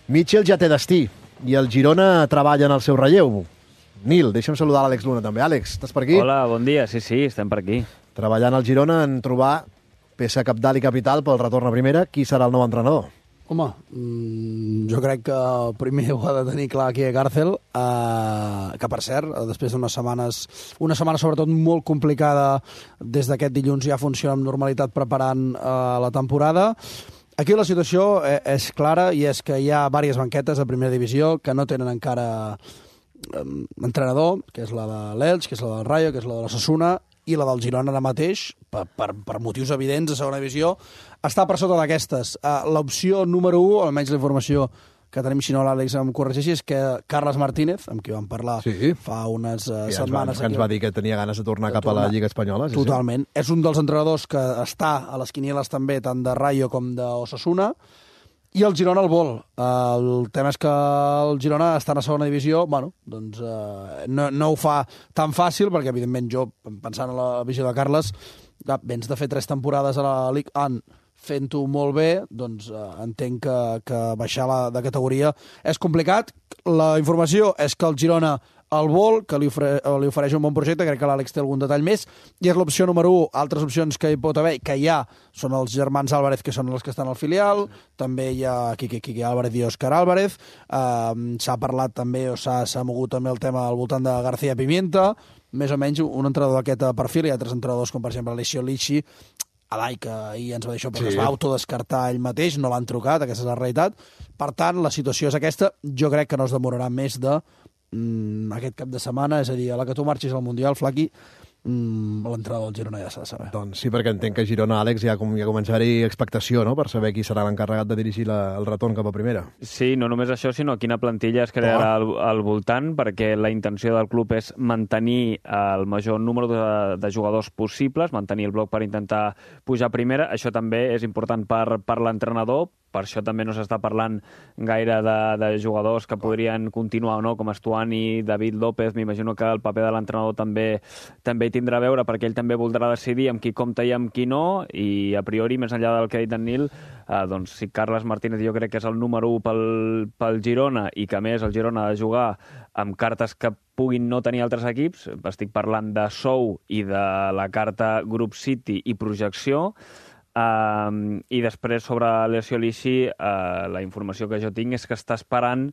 Mitchell ja té destí i el Girona treballa en el seu relleu. Nil, deixa'm saludar l'Àlex Luna també. Àlex, estàs per aquí? Hola, bon dia. Sí, estem per aquí. Treballant al Girona en trobar peça cabdal i capital pel retorn a primera. Qui serà el nou entrenador? Home, jo crec que primer ho ha de tenir clar aquí a Càrcel, que per cert, després d'unes setmanes, una setmana sobretot molt complicada, des d'aquest dilluns ja funciona amb normalitat preparant la temporada. Aquí la situació és clara i és que hi ha diverses banquetes a primera divisió que no tenen encara entrenador, que és la de l'Elx, que és la del Rayo, que és la de l'Osasuna, i la del Girona ara mateix, per motius evidents de segona divisió, està per sota d'aquestes. L'opció número 1, almenys la informació que tenim, si no l'Àlex em corregeixi, és que Carles Martínez, amb qui vam parlar fa unes setmanes... Que ens va dir que tenia ganes de tornar cap a la Lliga Espanyola. Totalment. És un dels entrenadors que està a les quinieles també, tant de Rayo com d'Osasuna, i el Girona el vol. El tema és que el Girona està a segona divisió, bueno, doncs no ho fa tan fàcil, perquè evidentment jo, pensant en la visió de Carles, vens de fer 3 temporades a la Ligue 1 fent-ho molt bé, doncs entenc que baixar de categoria és complicat. La informació és que el Girona el vol, que li ofereix un bon projecte, crec que l'Àlex té algun detall més, i és l'opció número 1. Altres opcions que hi pot haver, que hi ha, són els germans Álvarez, que són els que estan al filial, també hi ha Quique Álvarez i Òscar Álvarez, s'ha parlat també, o s'ha mogut també el tema al voltant de García Pimienta, més o menys un entrenador d'aquest perfil, hi ha altres entrenadors com per exemple Alessio Lici, Alai, que ahir ens va dir això, però es va autodescartar ell mateix, no l'han trucat, aquesta és la realitat. Per tant, la situació és aquesta, jo crec que no es demorarà més de aquest cap de setmana, és a dir, a la que tu marxis al Mundial, Flaqui, l'entrenador del Girona ja s'ha de saber. Doncs sí, perquè entenc que a Girona, Àlex, ja comença a haver-hi expectació, no?, per saber qui serà l'encarregat de dirigir el retorn cap a primera. Sí, no només això, sinó quina plantilla es crearà al voltant, perquè la intenció del club és mantenir el major número de jugadors possibles, mantenir el bloc per intentar pujar a primera. Això també és important per l'entrenador, per això també no s'està parlant gaire de jugadors que podrien continuar o no, com Estuani, David López. M'imagino que el paper de l'entrenador també hi tindrà a veure, perquè ell també voldrà decidir amb qui compta i amb qui no, i a priori, més enllà del que ha dit en Nil, doncs si Carles Martínez jo crec que és el número 1 pel Girona, i que a més el Girona ha de jugar amb cartes que puguin no tenir altres equips, estic parlant de sou i de la carta Group City i projecció. I després sobre Alessio Lici, la informació que jo tinc és que està esperant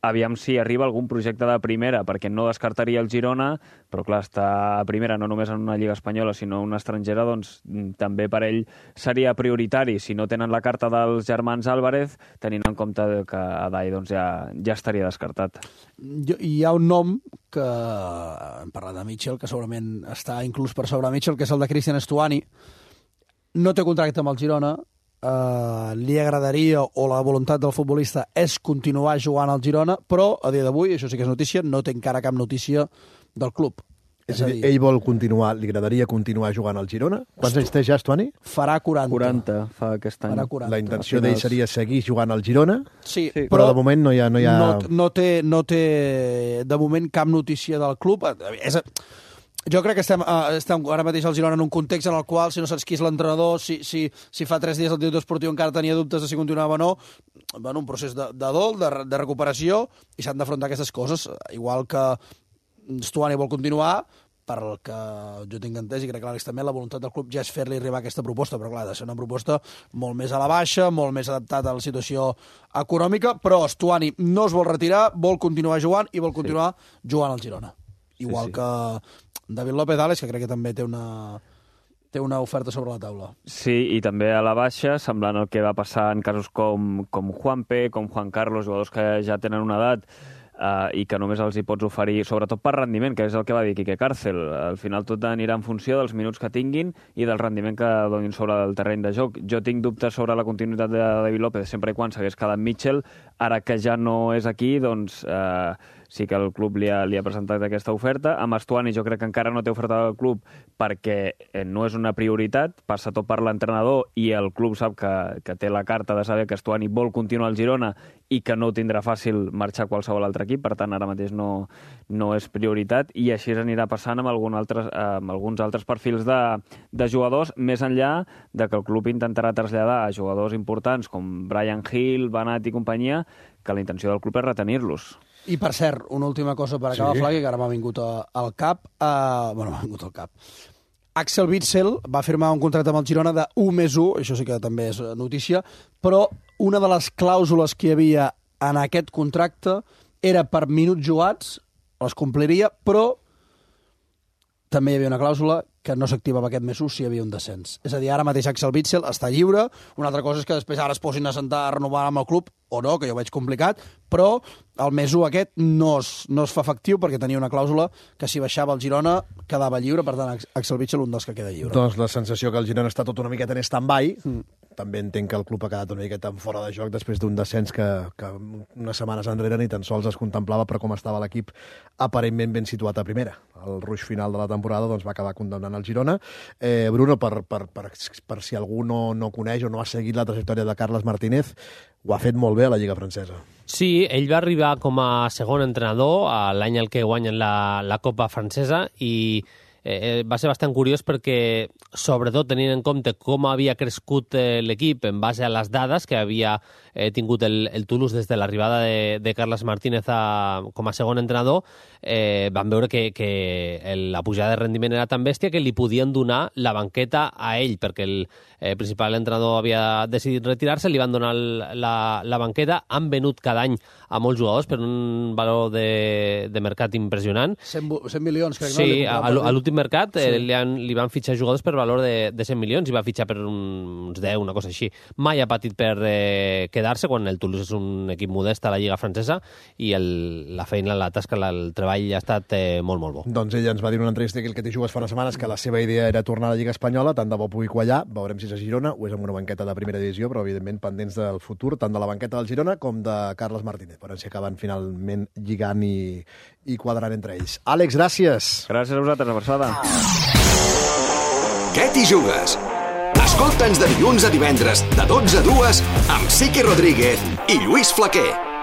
aviam si arriba algun projecte de primera, perquè no descartaria el Girona, però clar, està a primera no només en una lliga espanyola, sinó una estrangera, doncs també per ell seria prioritari. Si no tenen la carta dels germans Álvarez, tenint en compte que Adai doncs, ja estaria descartat. Hi ha un nom que, hem parlat de Mitchell, que segurament està inclús per sobre Mitchell, que és el de Cristian Estuani. No té contracte amb el Girona, li agradaria, o la voluntat del futbolista és continuar jugant al Girona, però a dia d'avui, això sí que és notícia, no té encara cap notícia del club. És a dir, ell vol continuar, li agradaria continuar jugant al Girona? Quants anys té ja, Estuani? Farà 40. 40 fa aquest any. Farà 40. La intenció d'ell seria seguir jugant al Girona, sí, però de moment no hi ha... No té de moment cap notícia del club. Jo crec que estem ara mateix al Girona en un context en el qual, si no saps qui és l'entrenador, si fa 3 dies el director esportiu encara tenia dubtes de si continuava o no, bueno, un procés de dol, de recuperació, i s'han d'afrontar aquestes coses. Igual que Stuani vol continuar, per el que jo tinc entès, i crec que l'Àlex també, la voluntat del club ja és fer-li arribar aquesta proposta, però clar, ha de ser una proposta molt més a la baixa, molt més adaptada a la situació econòmica, però Stuani no es vol retirar, vol continuar jugant i vol continuar jugant al Girona. Igual que David López Àlex, que crec que també té una oferta sobre la taula. Sí, i també a la baixa, semblant al que va passar en casos com Juanpe, com Juan Carlos, jugadors que ja tenen una edat i que només els hi pots oferir, sobretot per rendiment, que és el que va dir Quique Càrcel. Al final tot anirà en funció dels minuts que tinguin i del rendiment que donin sobre el terreny de joc. Jo tinc dubtes sobre la continuïtat de David López sempre i quan s'hagués quedat Mitchell. Ara que ja no és aquí, doncs sí que el club li ha presentat aquesta oferta. Amb Estuani jo crec que encara no té oferta del club perquè no és una prioritat, passa tot per l'entrenador i el club sap que té la carta de saber que Estuani vol continuar al Girona i que no tindrà fàcil marxar a qualsevol altre equip, per tant ara mateix no és prioritat, i així anirà passant amb alguns altres perfils de jugadors, més enllà de que el club intentarà traslladar a jugadors importants com Brian Hill, Banat i companyia, que la intenció del club és retenir-los. I, per cert, una última cosa per acabar, Flaqui, que ara m'ha vingut al cap. M'ha vingut al cap. Axel Witsel va firmar un contracte amb el Girona de 1+1, això sí que també és notícia, però una de les clàusules que hi havia en aquest contracte era per minuts jugats, les compliria, però també hi havia una clàusula que no s'activava aquest +1 si hi havia un descens. És a dir, ara mateix Axel Witsel està lliure, una altra cosa és que després ara es posin a sentar a renovar amb el club, o no, que jo ho veig complicat, però el +1 aquest no es fa efectiu perquè tenia una clàusula que si baixava el Girona quedava lliure, per tant Axel Witsel un dels que queda lliure. Doncs la sensació que el Girona està tot una miqueta en stand-by. També entenc que el club ha quedat una miqueta en fora de joc després d'un descens que unes setmanes enrere ni tan sols es contemplava per com estava l'equip aparentment ben situat a primera. El ruix final de la temporada doncs, va acabar condemnant el Girona. Bruno, per si algú no coneix o no ha seguit la trajectòria de Carles Martínez, ho ha fet molt bé a la Lliga Francesa. Sí, ell va arribar com a segon entrenador l'any en què guanyen la Copa Francesa i va ser bastant curiós perquè, sobretot tenint en compte com havia crescut l'equip en base a les dades que havia tingut el Toulouse des de l'arribada de Carles Martínez com a segon entrenador, van veure que la pujada de rendiment era tan bèstia que li podien donar la banqueta a ell, perquè el principal entrenador havia decidit retirar-se, li van donar la banqueta, han venut cada any a molts jugadors per un valor de mercat impressionant. 100 milions, crec. Sí, a l'últim mercat li van fitxar jugadors per valor de 100 milions i va fitxar per uns 10, una cosa així. Mai ha patit per quedar-se, quan el Toulouse és un equip modest a la Lliga Francesa, i la feina, la tasca, el treball ha estat molt, molt bo. Doncs ell ens va dir en una entrevista aquí el que t'hi jugues fa unes setmanes que la seva idea era tornar a la Lliga Espanyola, tant de bo pugui quallar, veurem si és a Girona o és amb una banqueta de primera divisió, però evidentment pendents del futur, tant de la banqueta del Girona com de Carles Martínez, veurem si acaben finalment lligant i quadrant entre ells. Àlex, gràcies. Gràcies a vosaltres, Abraçada. Què t'hi jugues? Escolta'ns de dilluns a divendres, de 12 a 2, amb Siqui Rodríguez i Lluís Flaquer.